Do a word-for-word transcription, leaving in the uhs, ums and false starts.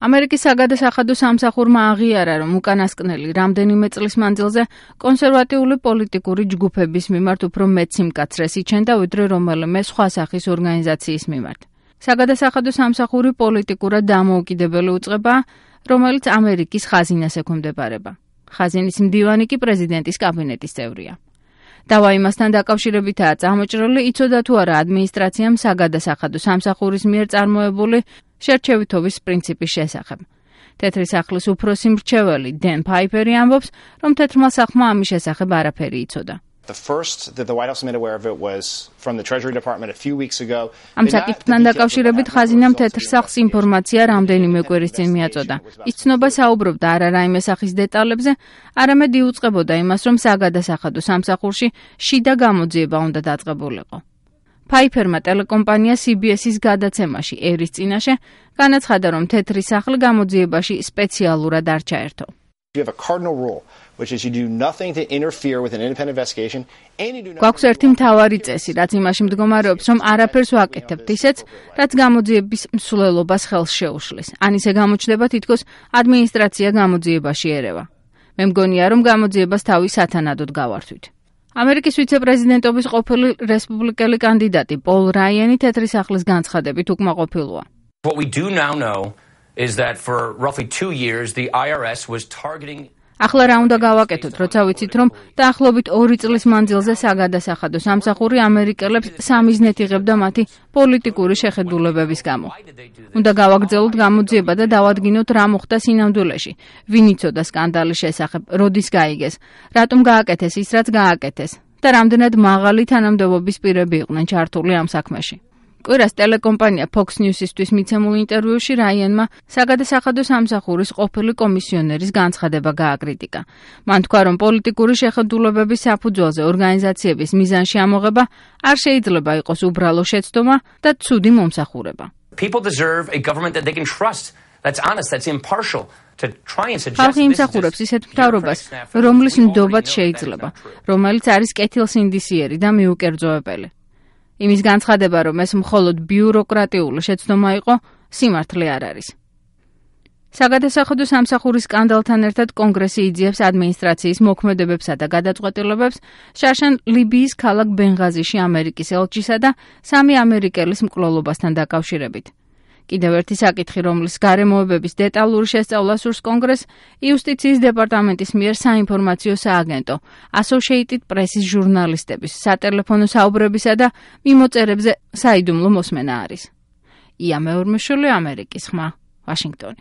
ამერიკის საგადასახადო სამსახურმა აღიარა, რომ უკანასკნელი რამდენიმე წლის მანძილზე კონსერვატიული პოლიტიკური ჯგუფების მიმართ უფრო მეტ სიმკაცრეს იჩენდა, ვიდრე რომელიმე სხვა სახის ორგანიზაციის მიმართ. საგადასახადო სამსახური პოლიტიკურად დამოუკიდებელი უწყებაა, რომელიც ამერიკის ხაზინას ექვემდებარება. ხაზინის მდივანი კი პრეზიდენტის კაბინეტის წევრია. დავა იმასთან დაკავშირებითაა წამოჭრილი, იცოდა თუ არა ადმინისტრაციამ საგადასახადო სამსახურის მიერ წარმოებული შერჩევითობის პრინციპის შესახებ. თეთრი სახლის უფროსი მრჩეველი დენ ფაიფერი ამბობს, რომ თეთრმა სახლმა ამის შესახებ არაფერი იცოდა. ამ საკითხთან დაკავშირებით ხაზინამ თეთრ სახლს ინფორმაცია რამდენიმე კვირის წინ მიაწოდა. ის ცნობა საუბრობდა არა რაიმე სახის დეტალებზე, არამედ იუწყებოდა იმას, რომ საგადასახადო სამსახურში შიდა გამოძიება უნდა დაწყებულიყო. ფაიფერმა ტელეკომპანია სი ბი ეს-ის გადაცემაში ერის წინაშე განაცხადა, რომ თეთრი სახლი გამოძიებაში სპეციალურად არ ჩაერთო. გვაქვს ერთი მთავარი წესი, რაც იმაში მდგომარეობს, რომ არაფერს ვაკეთებთ ისეც, რაც გამოძიების მსვლელობას ხელს შეუშლის. ან ისე გამოჩნდება, თითქოს ადმინისტრაცია გამოძიებაში ერევა. მე მგონია, რომ გამოძიებას თავი სათანადოდ გავართვით. ამერიკის ვიცე-პრეზიდენტობის ყოფილი რესპუბლიკელი კანდიდატი პოლ რაიანი თეთრი სახლის განცხადებით უკმაყოფილოა. What we do now know is that for roughly two years the I R S was targeting ახლა რა უნდა გავაკეთოთ, როცა ვიცით, რომ დაახლოებით ორი წლის მანძილზე საგადასახადო სამსახური ამერიკელებს სამიზნედ იღებდა მათი პოლიტიკური შეხედულებების გამო. უნდა გავაგრძელოთ გამოძიება და დავადგინოთ, რა მოხდა სინამდვილეში, ვინ იცოდა სკანდალის შესახებ, როდის გაიგეს, რატომ გააკეთეს ის, რაც გააკეთეს და რამდენად მაღალი თანამდებობის პირები იყვნენ ჩართული ამ საქმეში. კვირას ტელეკომპანია Fox News-ისთვის მიცემულ ინტერვიუში რაიანმა საგადასახადო სამსახურის ყოფილი კომისიონერის განცხადება გააკრიტიკა. მან თქვა, რომ პოლიტიკური შეხედულებების საფუძველზე ორგანიზაციების მიზანში ამოღება არ შეიძლება იყოს უბრალო შეცდომა და ცუდი მომსახურება. People deserve a government that they can trust, that's honest, that's impartial. ხალხი იმსახურებს ისეთ მთავრობას, რომლის ნდობაც შეიძლება, რომელიც არის კეთილსინდისიერი და მიუკერძოებელი. იმის განცხადება, რომ ეს მხოლოდ ბიუროკრატიული შეცდომა იყო, სიმართლე არ არის. საგადასახადო სამსახურის სკანდალთან ერთად კონგრესი იძიებს ადმინისტრაციის მოქმედებებსა და გადაწყვეტილებებს შარშან ლიბიის ქალაქ ბენღაზიში ამერიკის ელჩისა და სამი ამერიკელის მკვლელობასთან დაკავშირებით. კიდევ ერთი საკითხი, რომლის გარემოებების დეტალური შესწავლა სურს კონგრესს, იუსტიციის დეპარტამენტის მიერ საინფორმაციო სააგენტო Associated Press-ის ჟურნალისტების სატელეფონო საუბრებისა და მიმოწერებზე საიდუმლო მოსმენა არის. ია მეორმეშვილი, ამერიკის ხმა, ვაშინგტონი.